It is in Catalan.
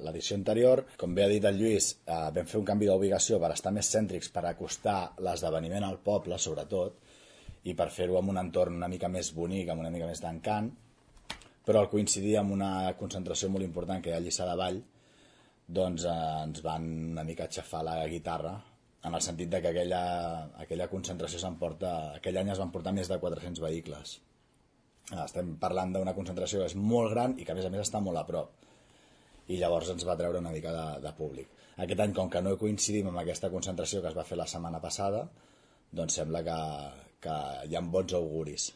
L'edició anterior, com bé ha dit el Lluís, vam fer un canvi d'ubicació per estar més cèntrics, per acostar l'esdeveniment al poble, sobretot, i per fer-ho en un entorn una mica més bonic, amb una mica més d'encant, però al coincidir amb una concentració molt important que hi ha a Lliçà de Vall, doncs ens van una mica aixafar la guitarra, en el sentit de que aquella concentració aquell any es van portar més de 400 vehicles. Estem parlant d'una concentració que és molt gran i que a més està molt a prop, i llavors ens va treure una mica de públic. Aquest any, com que no coincidim amb aquesta concentració que es va fer la setmana passada, doncs sembla que hi ha bons auguris.